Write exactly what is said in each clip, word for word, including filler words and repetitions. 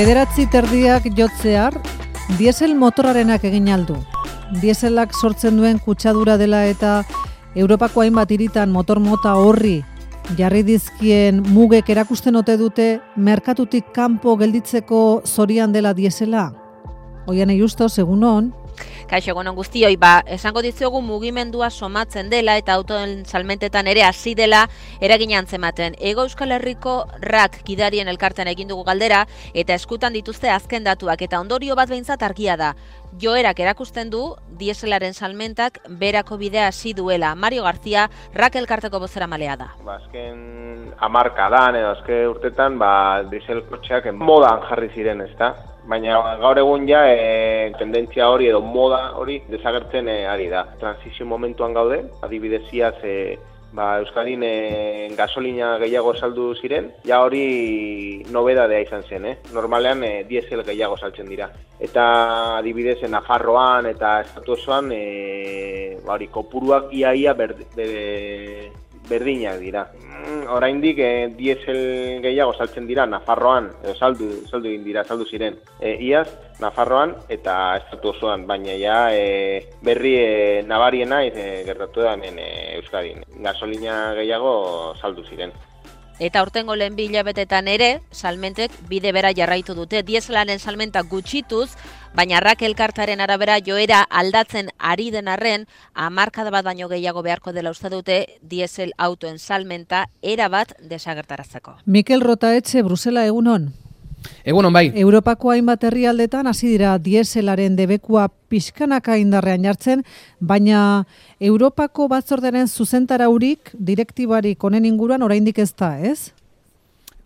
Bederatzi terdiak jotzear, diesel motorarenak egin aldu. Dieselak sortzen duen kutsadura dela eta Europako hainbat hiritan motor mota horri jarri dizkien mugek erakusten ote dute merkatutik kanpo gelditzeko zorian dela diesela. Oian Justos, egun on. Kaixo, egun on guztioi, ba, esango dizuegu mugimendua somatzen dela eta autoen salmentetan ere hasi dela eragin antzematen. Ego Euskal Herriko rak gidarien elkartean egin dugu galdera eta eskutan dituzte azken datuak eta ondorio bat behintzat argia da. Joerak erakusten du dieselaren salmentak berako bidea hasi duela. Mario García, rak elkarteko bozeramalea da. Ba, azken hamarkadan edo azken urtetan ba, diesel kotxeak modan jarri ziren, ezta? Baina gaur egun ja e, tendentzia hori edo moda hori desagertzen e, ari da. Transizio momentuan gaude, adibidez iaz e, ba, Euskadin e, gasolina gehiago saldu ziren, ja hori nobedadea izan zen, eh? Normalean e, diesel gehiago saltzen dira. Eta adibidez Nafarroan eta estatu osoan e, ba, hori kopuruak iaia berd, berde, berdinak dira. Oraindik eh, diesel gehiago saltzen dira Nafarroan, edo saldu, saldu egin dira, saldu ziren e, iaz Nafarroan eta estatu osoan, baina ja e, berri e, nabariena e, gertatu da hemen e, Euskadin. Gasolina gehiago saldu ziren. Eta aurtengo lehen bi hilabetetan ere, salmentek bide bera jarraitu dute. Dieselaren salmentak gutxituz, baina rak elkartaren arabera joera aldatzen ari den arren, hamarkada bat baino gehiago beharko dela uste dute diesel autoen salmenta erabat desagertarazteko. Mikel Rotaetxe, Brusela, egunon. Egunon bai. Europako hainbat herrialdetan hasi dira dieselaren debekua pixkanaka indarrean jartzen, baina Europako batzordearen zuzentaraurik, direktibarik honen inguruan oraindik ez da, ez?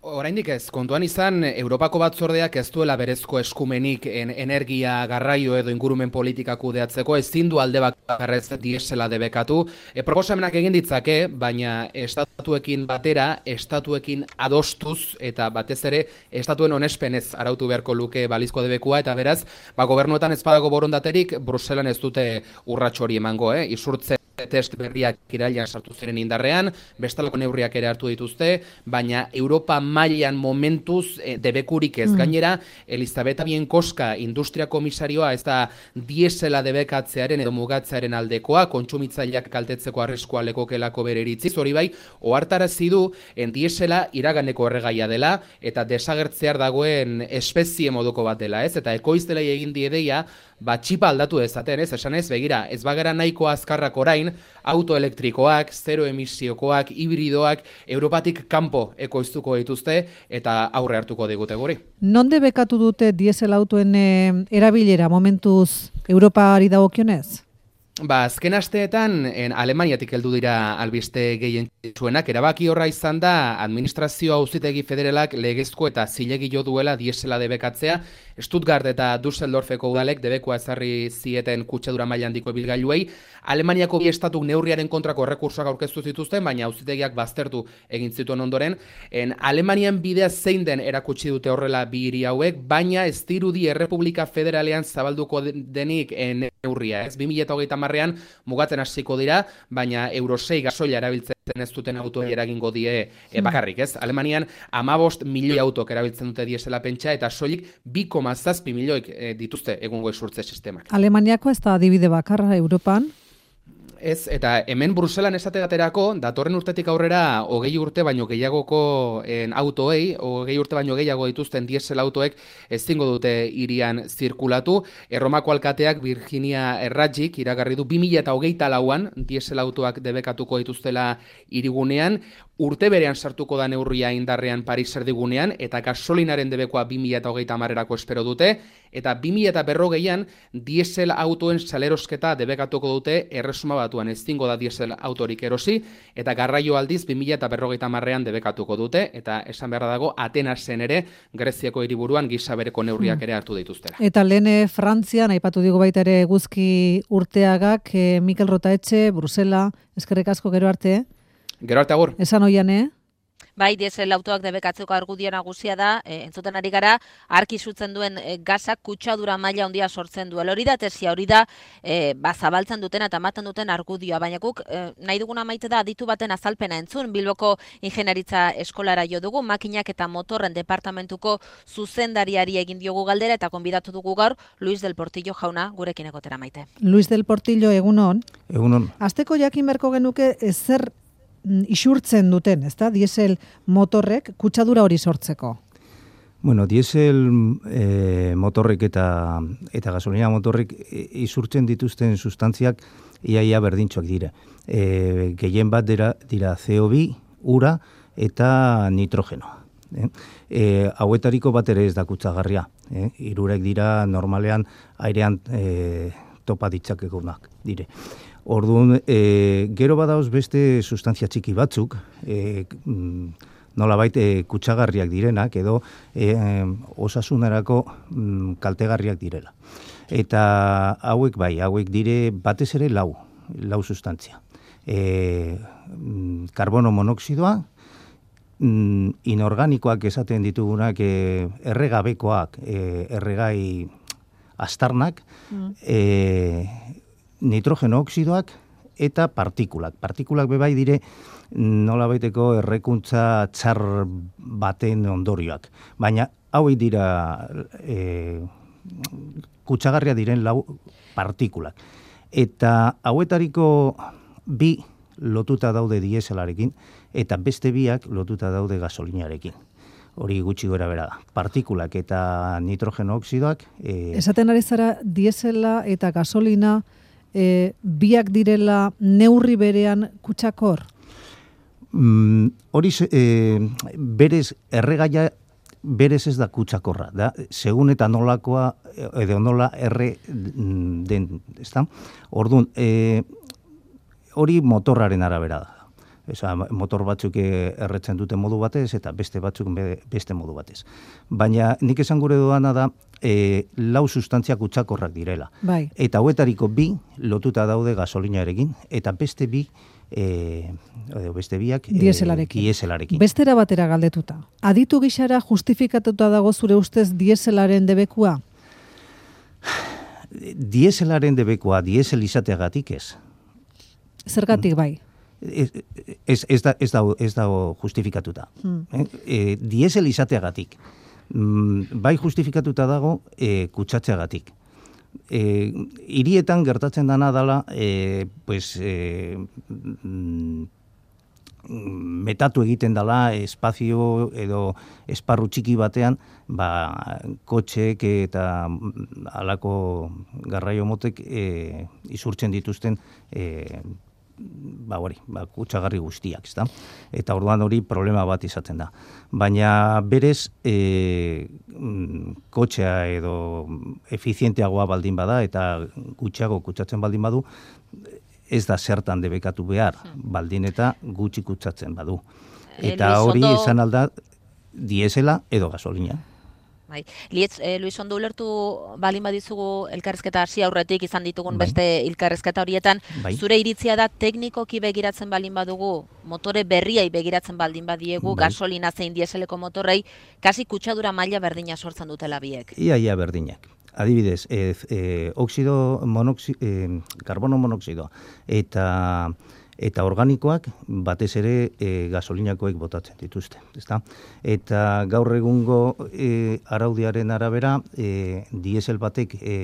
Oraindik ez, kontuan izan, Europako batzordeak ez duela berezko eskumenik en energia garraio edo ingurumen politika kudeatzeko, ezin du alde bakarrez diesela debekatu. E, proposamenak egin ditzake, baina estatuekin batera, estatuekin adostuz, eta batez ere, estatuen onespenez arautu beharko luke balizko debekua, eta beraz, ba, gobernuetan ez badago borondaterik, Bruselan ez dute urrats hori emango, eh? Isurtze test berriak irailean sartu ziren indarrean, bestalako neurriak ere hartu dituzte, baina Europa mailan momentuz e, debekurik ez. Mm. Gainera, Elizabeta Bienkoska industria komisarioa ez da diesela debekatzearen edo mugatzearen aldekoa, kontsumitzaileak kaltetzeko arriskua lekokelako bere iritziz, hori bai, ohartarazi du en diesela iraganeko erregaia dela eta desagertzear dagoen espezie moduko bat dela, ez? Eta ekoiztelei egin diedeia, ba, txipa aldatu dezaten, ez? Esan ez, begira, ez bagara nahiko azkarrak orain, autoelektrikoak, zero emisiokoak, hibridoak, Europatik kanpo ekoiztuko dituzte eta aurre hartuko digute guri. Non debekatu dute diesel autoen e, erabilera momentuz Europari dagokionez? Ba, azken asteetan, en Alemaniatik heldu dira albiste gehien zuenak, erabaki horra izan da administrazio auzitegi federalak legezko eta zilegi jo duela diesela debekatzea, Stuttgart eta Düsseldorfeko udalek debekua ezarri zieten kutsadura maila handiko ibilgailuei. Alemaniako bi estatuk neurriaren kontrako errekursoak aurkeztu zituzten, baina auzitegiak baztertu egin zituen ondoren. En Alemanian bidea zein den erakutsi dute horrela bi hiri hauek, baina ez dirudi Errepublika Federalean zabalduko denik neurria, ez? bi mila hogeita hamarrean mugatzen hasiko dira, baina Euro sei gasoila erabiltzen ez duten autoei eragingo die e, bakarrik, ez? Alemanian hamabost milioi autok erabiltzen dute diesela pentsa eta soilik bi koma zazpi milioik e, dituzte egungo esurtze sistemak. Alemaniako ez da adibide bakarra Europan? Ez, eta hemen Bruselan esategaterako, datorren urtetik aurrera hogei urte baino gehiagoko en, autoei, hogei urte baino gehiago dituzten diesel autoek ezingo dute hirian zirkulatu. Erromako alkateak Virginia Erratzik iragarri du bi mila hogeita lauan diesel autoak debekatuko dituztela hirigunean, urte berean sartuko da neurria indarrean Paris erdigunean, eta gasolinaren debekoa bi mila hogeita hamarerako espero dute, eta bi mila berrogeian diesel autoen salerosketa debekatuko dute erresuma batuan ezingo da diesel autorik erosi, eta garraio aldiz bi mila berrogeita hamarrean debekatuko dute, eta esan beharra dago Atenasen ere Greziako hiriburuan gisa bereko neurriak ere hartu dituztera. Eta lehen Frantzian, aipatu digu baita ere Eguzki Urteagak, eh, Mikel Rotaetxe, Brusela, eskerrik asko gero arte, Gero arte agur. Esan oian, eh? Bai, diesel autoak debekatzeko argudio nagusia da, e, entzuten ari gara, arki sutzen duen e, gazak kutsadura maila handia sortzen duela. Hori da tesia, hori da e, ba, zabaltzen duten eta ematen duten argudioa, baina guk e, nahi duguna maite da aditu baten azalpena entzun, Bilboko Ingeniaritza Eskolara jo dugu, makinak eta motorren departamentuko zuzendariari egin diogu galdera eta konbidatu dugu gaur Luis del Portillo jauna gurekin egotera Maite. Luis del Portillo, egunon. Egunon. Azteko jakin berko genuke ezer isurtzen duten, ezta? Diesel motorrek kutsadura hori sortzeko. Bueno, diesel e, motorrek eta eta gasolina motorrek isurtzen dituzten sustantziak iaia berdintxoak dira. E, gehien bat dira, dira C O bi, ura eta nitrogeno. Eh? E, hauetariko bat ere ez da kutsagarria. Eh? Hirurek dira normalean airean e, topa ditzakegunak dire. Orduan, e, gero badauz beste sustantzia txiki batzuk, e, nolabait e, kutsagarriak direnak, edo e, osasunerako mm, kaltegarriak direla. Eta hauek bai, hauek dire batez ere lau, lau sustantzia. E, karbono monoxidoa, mm, inorganikoak esaten ditugunak, e, erregabekoak, e, erregai astarnak, mm. e, nitrogeno oxidoak eta partikulak. Partikulak bebai dire nola baiteko errekuntza txar baten ondorioak. Baina hauei dira e, kutsagarria diren lau partikulak. Eta hauetariko bi lotuta daude dieselarekin eta beste biak lotuta daude gasolinarekin. Hori gutxi gora bera da. Partikulak eta nitrogeno oxidoak... E, Esaten ari zara diesela eta gasolina E, biak direla neurri berean kutsakor? Mm, hori e, berez erregaia berez ez da kutsakorra, da segun eta nolakoa edo nola erre den, ezta? Orduan, e, hori motorraren arabera da. Esa, motor batzuk erretzen dute modu batez eta beste batzuk beste modu batez. Baina nik esan gure doana da e, lau sustantzia kutsakorrak direla. Bai. Eta hauetariko bi lotuta daude gasolinarekin eta beste bi e, beste biak dieselarekin. E, dieselarekin. Bestera batera galdetuta. Aditu gixara justifikatuta dago zure ustez dieselaren debekua? Dieselaren debekua diesel izateagatik ez. Zergatik bai? Ez, ez, ez, da, ez, da, ez dago justifikatuta. Hmm. Eh? E, diesel izateagatik. Mm, bai justifikatuta dago e, kutsatzeagatik. E, hirietan gertatzen dana dala e, pues, e, mm, metatu egiten dala espazio edo esparru txiki batean ba, kotxeek eta halako garraio motek e, isurtzen dituzten e, ba hori, ba kutsagarri guztiak, ezta? Eta orduan hori problema bat izaten da. Baina berez e, kotxea edo efizienteagoa baldin bada eta gutxiago kutsatzen baldin badu, ez da zertan debekatu behar, baldin eta gutxi kutsatzen badu. Eta hori izan alda diesela edo gasolina. Bai. Lietz, eh, Luis Ondo ulertu balin badizugu elkarrizketa hasi aurretik izan ditugun bai. Beste elkarrizketa horietan, bai. Zure iritzia da teknikoki begiratzen balin badugu, motore berriai begiratzen baldin badiegu, bai. Gasolina zein dieseleko motorrei, kasi kutsadura maila berdina sortzen dutela biek. Ia, ia berdinak. Adibidez, e, e, oxido monoxi, e, karbono monoxidoa eta eta organikoak batez ere e, gasolinakoek botatzen dituzte, ezta? Eta gaur egungo e, araudiaren arabera, e, diesel batek e,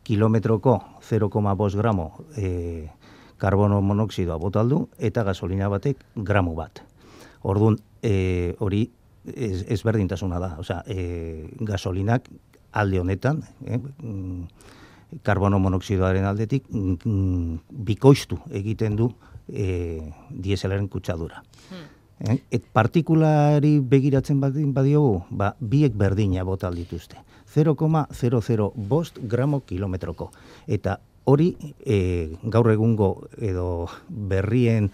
kilometroko zero koma bost gramo e, karbono monoxidoa botaldu eta gasolina batek gramo bat. Orduan, e, hori ez, ez berdintasuna da, osea, e, gasolinak alde honetan, eh, karbono monoxidoaren aldetik mm, bikoiztu egiten du E, dieselaren kutsadura. Hmm. Et partikulari begiratzen badin badiogu, ba, biek berdina botal dituzte. zero koma zero zero bost gramo kilometroko. Eta hori e, gaur egungo edo berrien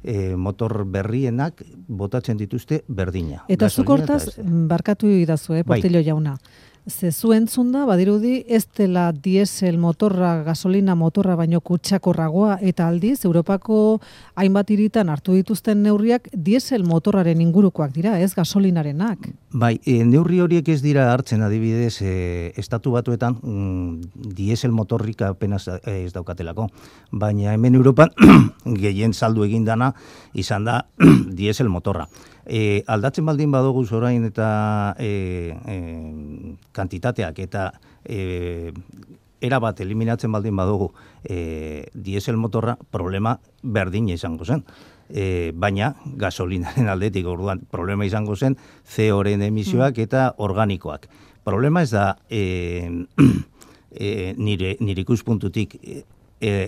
e, motor berrienak botatzen dituzte berdina. Eta zuk hortaz, barkatu idazu, eh, Portillo bai. Jauna. Zezu entzun da, badirudi, ez dela diesel motorra, gasolina motorra baino kutsakorragoa, eta aldiz, Europako hainbat hiritan hartu dituzten neurriak diesel motorraren ingurukoak dira, ez gasolinarenak. Bai, e, neurri horiek ez dira hartzen adibidez, e, estatu batuetan mm, diesel motorrik apenas ez daukatelako, baina hemen Europan gehien saldu egin dana izan da diesel motorra. E, aldatzen baldin badugu orain eta e, e, kantitateak eta e, erabat eliminatzen baldin badugu e, diesel motorra problema berdina izango zen. E, baina gasolinaren aldetik orduan problema izango zen C O-ren emisioak eta organikoak. Problema ez da e, e, nire, nire ikuspuntutik e,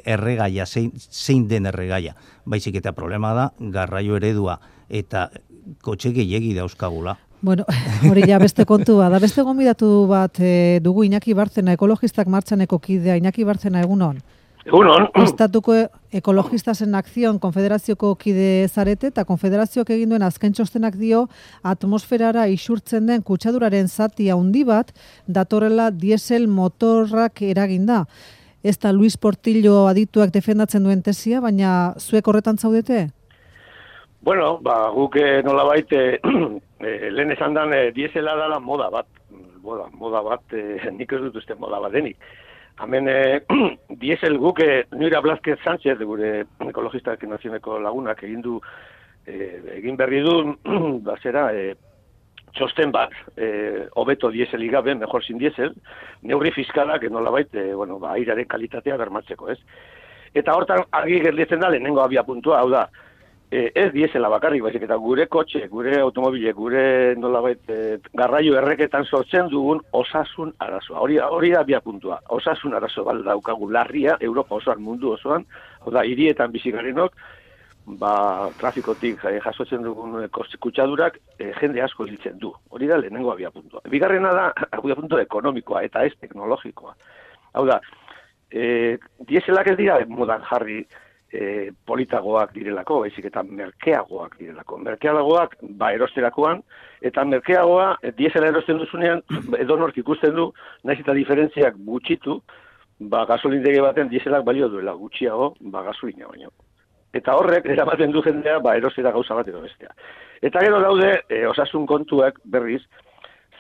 erregaia, zein, zein den erregaia. Baizik eta problema da garraio eredua eta kotxe gehiegi dauzkagula. Bueno, hori ja beste kontu bat. Da beste gonbidatu bat e, dugu Iñaki Bartzena, ekologistak martxaneko kidea. Iñaki Bartzena, egunon? Egunon. Estatuko ekologistas en acción konfederazioko kide zarete, eta konfederazioak egin duen azken txostenak dio atmosferara isurtzen den kutsaduraren zati handi bat datorrela diesel motorrak eraginda. Ez da Luis Portillo adituak defendatzen duen tesia, baina zuek horretan zaudete? Bueno, ba, guk nolabait e, lehen esan dan e, diesela dala moda bat, moda, moda bat, e, nik ez dut uste moda bat denik. Hemen e, diesel guk, e, Nuria Blázquez Sánchez, gure ekologistak nazioneko lagunak egin du, e, egin berri du, bazera, e, txosten bat, e, hobeto dieselik gabe, mejor sin diesel, neurri fiskalak nolabait, e, bueno, ba, airaren kalitatea bermatzeko, ez? Eta hortan argi gelditzen da lehenengo abia puntua, hau da, E, ez diesela bakarrik, baizik eta gure kotxe, gure automobile, gure nolabait e, garraio erreketan sortzen dugun osasun arazoa. Hori, hori da bia puntua. Osasun arazo bat daukagu larria, Europa osoan, mundu osoan, hau da, hirietan bizikarenok, ba, trafikotik e, jasotzen dugun kutsadurak e, jende asko hiltzen du. Hori da lehenengo abia puntua. Bigarrena da abia puntua ekonomikoa eta ez teknologikoa. Hau da, e, dieselak ez dira modan jarri E, politagoak direlako, baizik eta merkeagoak direlako. Merkeagoak, ba, erosterakoan, eta merkeagoa, diesela erosten duzunean, edonork ikusten du, naiz eta diferentziak gutxitu, ba, gasolindegi baten dieselak balio duela gutxiago, ba, gasolina baino. Eta horrek, eramaten du jendea, ba, erostera gauza bat edo bestea. Eta gero daude, e, osasun kontuak berriz,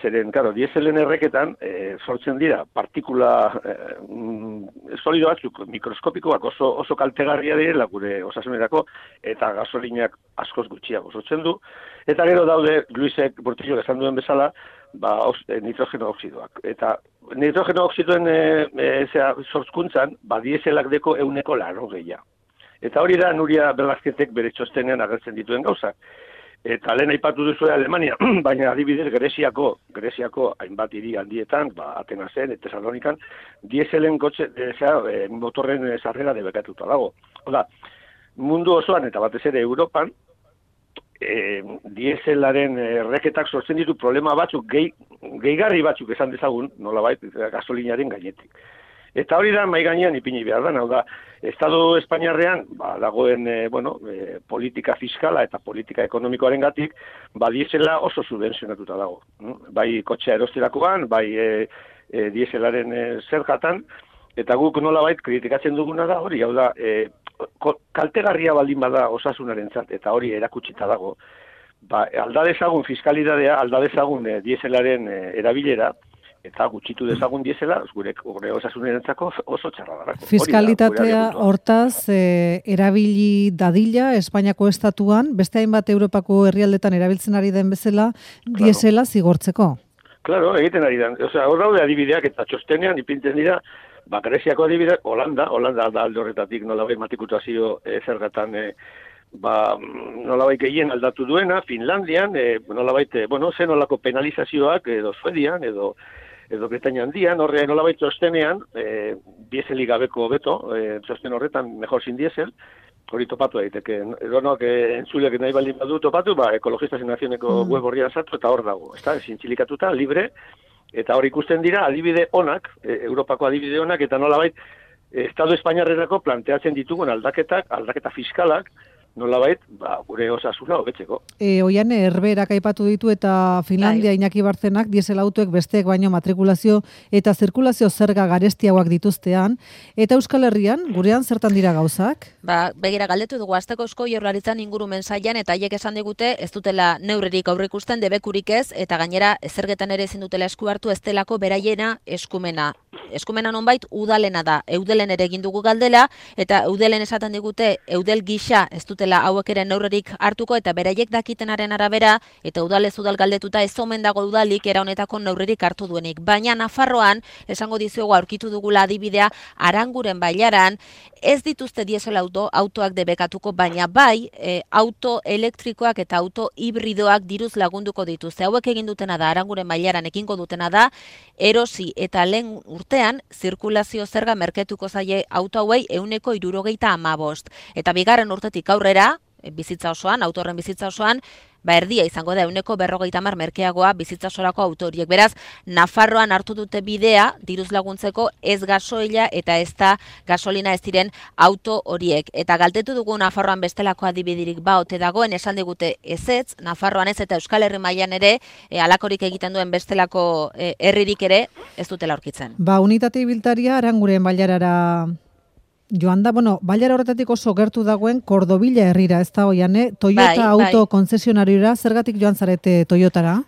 zeren, karo, dieselen erreketan e, sortzen dira partikula e, solido batzuk mikroskopikoak oso, oso kaltegarria direla gure osasunerako eta gasolinak askoz gutxiago sortzen du. Eta gero daude, Luisek Portillo esan duen bezala, ba, os, e, nitrogeno oxidoak. Eta nitrogeno oxidoen e, e, zera, sortzkuntzan, ba, dieselak deko euneko laro gehiago. Eta hori da Nuria Blázquezek bere txostenean agertzen dituen gauzak. Eta lehen aipatu duzu Alemania, baina adibidez Greziako, Greziako hainbat hiri handietan, ba, Atenasen eta Tesalonikan, dieselen kotxe, e, motorren sarrera debekatuta dago. Oda, mundu osoan eta batez ere Europan, e, dieselaren erreketak sortzen ditu problema batzuk, gehi, gehigarri batzuk esan dezagun, nolabait, gasolinaren gainetik. Eta hori da mai gainean ipini behar da, hau da, Estado Espainiarrean ba, dagoen e, bueno, e, politika fiskala eta politika ekonomikoaren gatik, ba, diesela oso subventzionatuta dago. Bai kotxea erosterakoan, bai e, e, dieselaren e, zergatan, eta guk nolabait kritikatzen duguna da hori, hau da, e, kaltegarria baldin bada osasunarentzat eta hori erakutsita dago, ba, alda dezagun fiskalidadea, alda dezagun e, dieselaren e, erabilera, eta gutxitu dezagun diesela, gure, gure osasunerentzako oso txarra darako. Fiskalitatea hortaz, e, erabili dadila, Espainiako estatuan, beste hainbat Europako herrialdetan erabiltzen ari den bezala, claro, diesela zigortzeko. Claro, egiten ari den. Osea, hor daude adibideak eta txostenean ipintzen dira, ba, Greziako adibideak, Holanda, Holanda da alde horretatik nolabait matrikutazio e, zergatan e, ba, nolabait gehien aldatu duena, Finlandian, e, nolabait, e, bueno, zen nolako penalizazioak, edo Suedian, edo edo Britainia handian, horre nolabait txostenean, e, dieselik gabeko beto, e, txosten horretan mejor sin diesel, hori topatu daiteke. Edonoak e, entzulek nahi baldin badu topatu, ba, ekologistas en nazioneko mm. web horrian sartu eta hor dago. Está zintzilikatuta, libre, eta hor ikusten dira adibide onak, e, Europako adibide onak, eta nolabait, Estado Espainiarrerako planteatzen ditugun aldaketak, aldaketa fiskalak, nolabait, ba, gure osasuna hobetzeko. E, oian, herberak aipatu ditu eta Finlandia Bai. Iñaki Bartzenak diesel autoek besteek baino matrikulazio eta zirkulazio zerga garestiagoak dituztean, eta Euskal Herrian, gurean zertan dira gauzak? Ba, begira galdetu dugu asteko Eusko Jaurlaritzan ingurumen sailan eta haiek esan digute ez dutela neurririk aurreikusten debekurik ez eta gainera zergetan ere ezin dutela esku hartu ez delako beraiena eskumena. Eskumena nonbait udalena da. Eudelen ere egin dugu galdela eta eudelen esaten digute eudel gisa ez dutela hauek ere neurririk hartuko eta beraiek dakitenaren arabera eta udalez udal galdetuta ez omen dago udalik era honetako neurririk hartu duenik. Baina Nafarroan esango dizuegu aurkitu dugula adibidea Aranguren bailaran ez dituzte diesel auto autoak debekatuko baina bai e, auto elektrikoak eta auto hibridoak diruz lagunduko dituzte. Hauek egin dutena da Aranguren bailaran ekingo dutena da erosi eta lehen urtean zirkulazio zerga merketuko zaie auto hauei ehuneko hirurogeita hamabost. Eta bigarren urtetik aurrera, bizitza osoan, autorren bizitza osoan, ba erdia izango da ehuneko berrogeita hamar merkeagoa bizitza osorako auto horiek. Beraz, Nafarroan hartu dute bidea diruz laguntzeko ez gasoila eta ez da gasolina ez diren auto horiek. Eta galdetu dugu Nafarroan bestelako adibidirik ba ote dagoen esan digute ezetz, Nafarroan ez eta Euskal Herri mailan ere e, alakorik egiten duen bestelako e, herririk ere ez dutela aurkitzen. Ba, unitate ibiltaria Aranguren bailarara joan da, bueno, bailara horretatik oso gertu dagoen Kordobila herrira, ez da oian, Toyota bai, auto bai. konzesionariora, zergatik joan zarete Toyotara?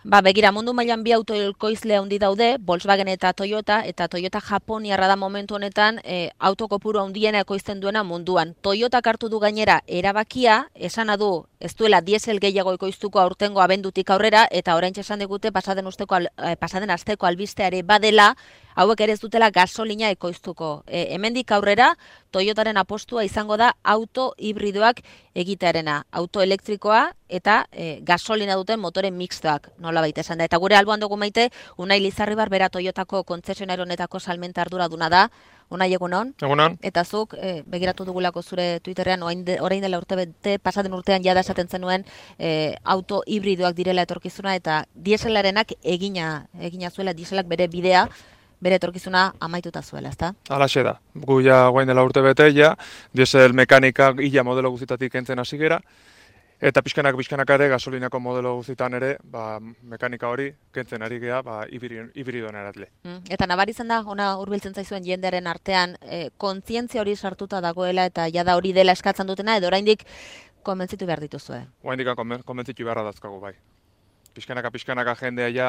Ba, begira, mundu mailan bi autoekoizle handi daude, Volkswagen eta Toyota, eta Toyota Japoniarra da momentu honetan e, autokopuru handiena ekoizten duena munduan. Toyotak hartu du gainera erabakia, esana du ez duela diesel gehiago ekoiztuko aurtengo abendutik aurrera, eta oraintxe esan digute pasaden usteko al, eh, pasaden asteko albisteare badela, hauek ere ez dutela gasolina ekoiztuko. E, hemendik aurrera, Toyotaren apostua izango da auto hibridoak egitearena, auto elektrikoa eta e, gasolina duten motoren mixtoak, nolabait esan da. Eta gure alboan dugu maite, Unai Lizarribar bera Toyotako kontzesionario honetako salmenta arduraduna da. Unai, egunon? Egunon. Eta zuk, e, begiratu dugulako zure Twitterrean, orain, de, orain dela urte bete, pasaden urtean jada esaten zenuen e, auto hibridoak direla etorkizuna, eta dieselarenak egina, egina zuela, dieselak bere bidea, bere etorkizuna amaituta zuela, ezta? Halaxe da. Gu ja guain dela urte bete, ja, diesel mekanika ila modelo guztitatik kentzen hasi gera, eta pixkanak pixkanak ere gasolinako modelo guztitan ere, ba, mekanika hori kentzen ari gea, ba, hibridoan eratle. Mm, eta nabaritzen da, ona hurbiltzen zaizuen jendearen artean, e, kontzientzia hori sartuta dagoela eta jada hori dela eskatzen dutena, edo oraindik konbentzitu behar dituzue? Oraindik konbentzitu beharra dazkagu, bai. Pixkanaka, pixkanaka jendea ja,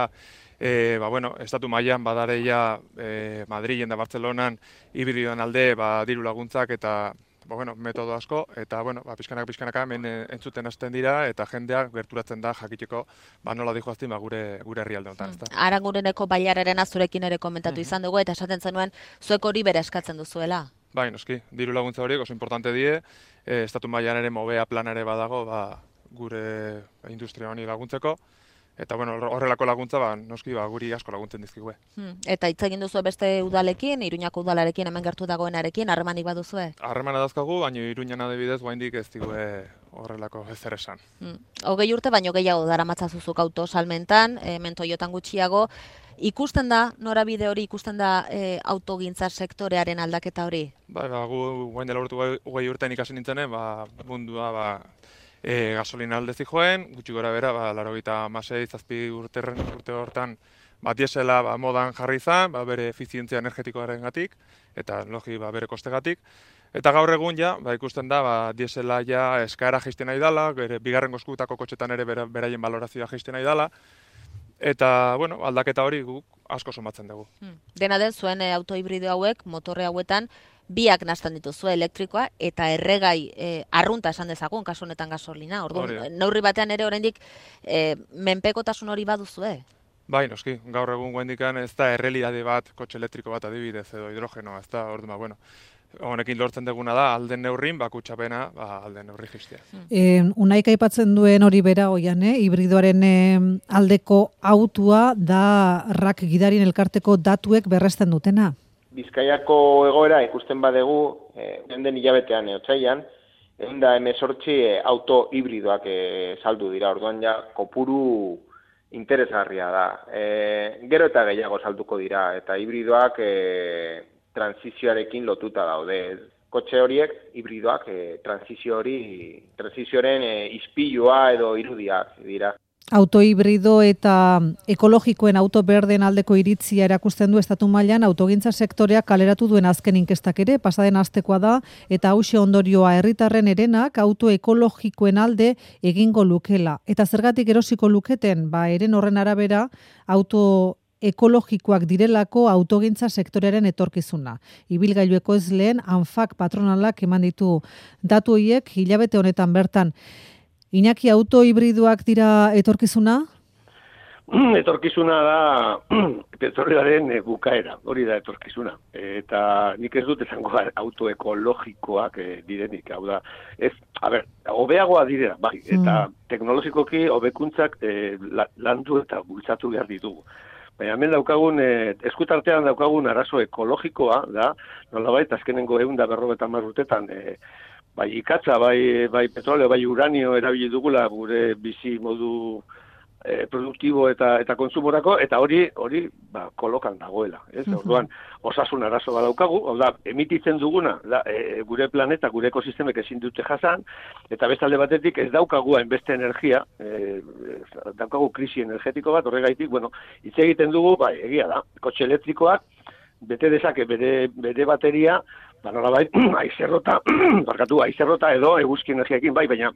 e, ba, bueno, estatu mailan badare ja e, Madrilen da Bartzelonan hibridoan alde ba, diru laguntzak eta ba, bueno, metodo asko, eta bueno, ba, pixkanaka, pixkanaka hemen entzuten hasten dira eta jendeak gerturatzen da jakiteko ba, nola dijoaztin ba, gure, gure herrialde honetan. Hmm. Arangureneko bailararen azurekin ere komentatu Mm-hmm. izan dugu eta esaten zenuen zuek hori bere eskatzen duzuela. Bai, noski, diru laguntza horiek oso importante die, e, estatu mailan ere mobea planare badago ba, gure industria honi laguntzeko. Eta bueno, horrelako laguntza ba, noski ba, guri asko laguntzen dizkigue. Hmm. Eta hitz egin duzu beste udalekin, Iruñako udalarekin, hemen gertu dagoenarekin, harremanik baduzue? Harremana dazkagu, baina Iruñan adibidez oraindik ez digue horrelako ezer esan. Hmm. Hogei urte baino gehiago daramatzazuzuk auto salmentan, hemen Toyotan gutxiago. Ikusten da, norabide hori, ikusten da e, autogintza sektorearen aldaketa hori? Bai, ba, gu guain dela urte hogei urtean ikasi nintzenen, ba, mundua ba, E, gasolina aldezi joen, gutxi gora bera, ba, laurogeita hamasei, zazpi urte, urte hortan ba, diesela ba, modan jarri izan, ba, bere efizientzia energetikoaren gatik, eta logi ba, bere kostegatik. Eta gaur egun ja, ba, ikusten da, ba, diesela ja eskaera jaisten nahi dela, bere bigarren goskutako kotxetan ere bera, beraien balorazioa jaisten nahi dela, eta bueno, aldaketa hori guk asko somatzen dugu. Hmm. Dena den, zuen e, auto hibrido hauek, motorre hauetan, biak nazten dituzu elektrikoa eta erregai e, arrunta esan dezagun, kasu honetan gasolina. Orduan, neurri batean ere oraindik e, menpekotasun hori baduzue. Bai, noski, gaur egun guendikan ez da errealidade bat, kotxe elektriko bat adibidez edo hidrogenoa, ez da, orduan, ba, bueno, honekin lortzen duguna da, alden neurrin, bakutxapena, ba, alden neurri jistea. E, Unaik aipatzen duen hori bera oian, eh? Hibridoaren eh, aldeko autua da rak gidarien elkarteko datuek berresten dutena. Bizkaiako egoera ikusten badegu, eh, den hilabetean, eh, otsailean, ehun eta hemezortzi eh, auto hibridoak eh, saldu dira, orduan ja kopuru interesgarria da. Eh, gero eta gehiago salduko dira, eta hibridoak eh, transizioarekin lotuta daude. kotxe horiek hibridoak e, transizio hori, transizioaren e, ispilua edo irudiak dira. Auto hibrido eta ekologikoen auto berden aldeko iritzia erakusten du estatu mailan autogintza sektoreak kaleratu duen azken inkestak ere, pasaden astekoa da, eta hauxe ondorioa herritarren herenak auto ekologikoen alde egingo lukela. Eta zergatik erosiko luketen, ba, eren horren arabera, auto ekologikoak direlako autogintza sektorearen etorkizuna. Ibilgailu ekoizleen ANFAC patronalak eman ditu datu horiek hilabete honetan bertan. Iñaki, auto hibridoak dira etorkizuna? Etorkizuna da petrolioaren bukaera, hori da etorkizuna. Eta nik ez dut esango auto ekologikoak direnik, hau da, ez, a ber, hobeagoa direla, bai, eta mm. teknologikoki hobekuntzak eh, landu eta bultzatu behar ditugu. Baina hemen daukagun, eh, eskutartean daukagun arazo ekologikoa, da, nolabait, azkenengo ehun da berrogeita hamar urtetan, eh, bai ikatza, bai, bai petroleo, bai uranio erabili dugula gure bizi modu eh, produktibo eta eta kontsumorako, eta hori hori ba, kolokan dagoela. Ez? Uh-huh. Orduan, osasun arazo badaukagu, hau da, emititzen duguna, da, e, gure planeta, gure ekosistemek ezin dute jasan, eta beste alde batetik ez daukagu hainbeste energia, e, daukagu krisi energetiko bat, horregaitik, bueno, hitz egiten dugu, bai, egia da, kotxe elektrikoak, bete dezake bere, bere bateria, ba, nolabait, aizerrota, barkatu, aizerrota edo eguzki energiaekin, bai, baina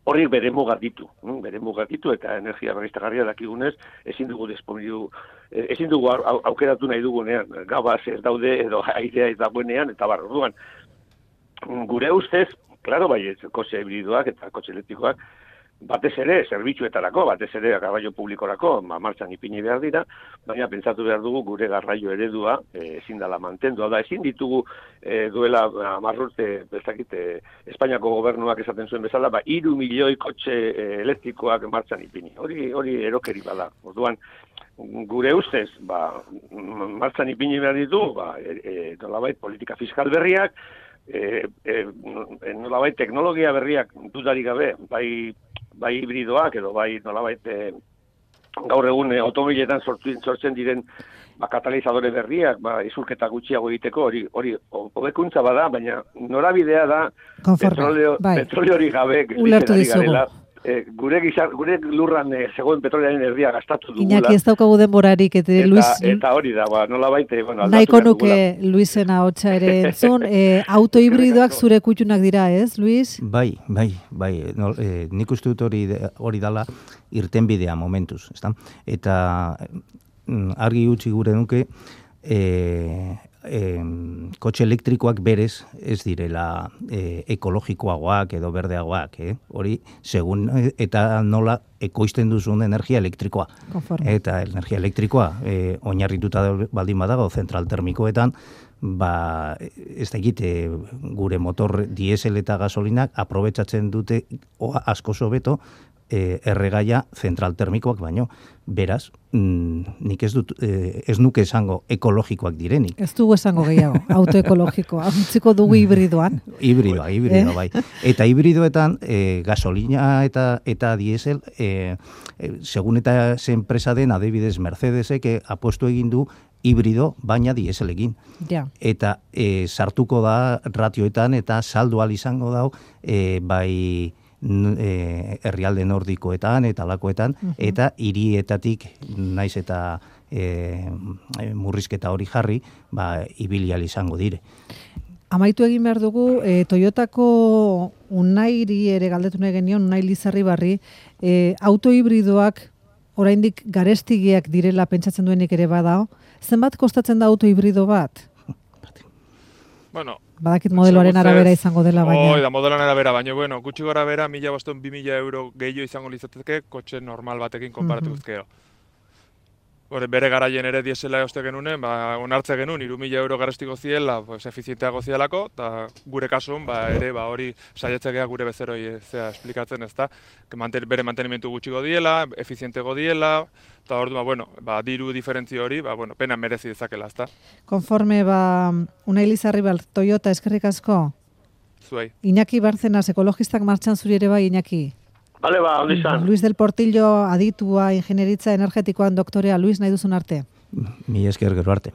hori bere mugak ditu, bere mugak ditu, eta energia berriztagarria dakigunez, ezin dugu disponidu, ezin dugu aukeratu nahi dugunean, gabaz ez daude, edo airea ez dagoenean, eta bar, orduan, gure ustez, klaro, bai, kotxe hibridoak eta kotxe elektrikoak, batez ere, zerbitzuetarako, batez ere, garraio publikorako, ma, martxan ipini behar dira, baina pentsatu behar dugu gure garraio eredua e, ezin dela mantendu. Da, ezin ditugu e, duela amarrurte, bezakit, e, Espainiako gobernuak esaten zuen bezala, ba, iru milioi kotxe e, elektrikoak martxan ipini. Hori, hori erokeri bada. Orduan, gure ustez, ba, martxan ipini behar ditu, ba, e, e, nolabait, politika fiskal berriak, e, e, nolabait, teknologia berriak dudarik gabe, bai, bai hibridoak edo bai nolabait e, gaur egun e, automobiletan sortzen, sortzen diren ba, katalizadore berriak, ba, isurketa gutxiago egiteko, hori hori hobekuntza bada, baina norabidea da petroleo, bai. petroleori gabe ulertu dizugu. E, gure, gizar, gure lurran e, zegoen petrolearen erdia gastatu dugula. Iñaki ez daukagu denborarik, eta, eta Luis... Eta hori da, ba, nola baite, bueno, nahiko nuke Luisena hotxa ere entzun. E, auto hibridoak zure kutxunak dira, ez, Luis? Bai, bai, bai. No, e, nik uste dut hori, hori dala irtenbidea momentuz, ezta? Eta argi utzi gure nuke, e, e, kotxe elektrikoak berez ez direla e, ekologikoagoak edo berdeagoak, eh? Hori, segun eta nola ekoizten duzun energia elektrikoa. Conforme. Eta energia elektrikoa e, oinarrituta baldin badago zentral termikoetan, ba, ez da egite gure motor diesel eta gasolinak aprobetsatzen dute oa asko sobeto e, erregaia zentral termikoak baino. Beraz, mm, nik ez dut, eh, ez nuke esango ekologikoak direnik. Ez dugu esango gehiago, autoekologikoa. Utziko dugu hibridoan. Hibridoa, hibridoa, eh? Bai. Eta hibridoetan, eh, gasolina eta eta diesel, eh, eh, segun eta ze enpresa den, adibidez Mercedesek eh, apuestu egin du hibrido, baina dieselekin. Ja. Eta eh, sartuko da ratioetan eta saldo al izango dau, eh, bai... E, herrialde nordikoetan eta lakoetan, uh-huh. eta hirietatik naiz eta e, murrizketa hori jarri, ba, ibilial izango dire. Amaitu egin behar dugu, e, Toyotako Unairi ere galdetu nahi genion, Unai Lizarribarri, e, auto hibridoak oraindik garestigiak direla pentsatzen duenik ere badao. Zenbat kostatzen da auto hibrido bat? Bueno, badakit modeloaren arabera izango dela, baina... Hoi da, modeloaren arabera, baina, bueno, gutxi gora bera, mila boston, bi mila euro gehiago izango litzateke, kotxe normal batekin konparatu guzkero. Hore, bere garaien ere diesela eoste genunen, ba, onartze genuen, iru mila euro garestiko ziela, pues, efizienteago zielako, eta gure kasuan, ba, ere, ba, hori saiatzekea gure bezeroi zea esplikatzen, ez da, manten, bere mantenimentu gutxiko diela, efizientego diela, eta hor, ba, bueno, ba, diru diferentzio hori, ba, bueno, pena merezi dezakela, ez da. Konforme, ba, Unai Lizarribar, Toyota, eskerrik asko? Zuei. Iñaki Barcenas, ekologistak martxan zuri ere bai, Iñaki? Bale, ba, hori izan. Luis del Portillo, aditua, ingenieritza energetikoan doktorea. Luis, nahi duzun arte? Mi esker gero arte.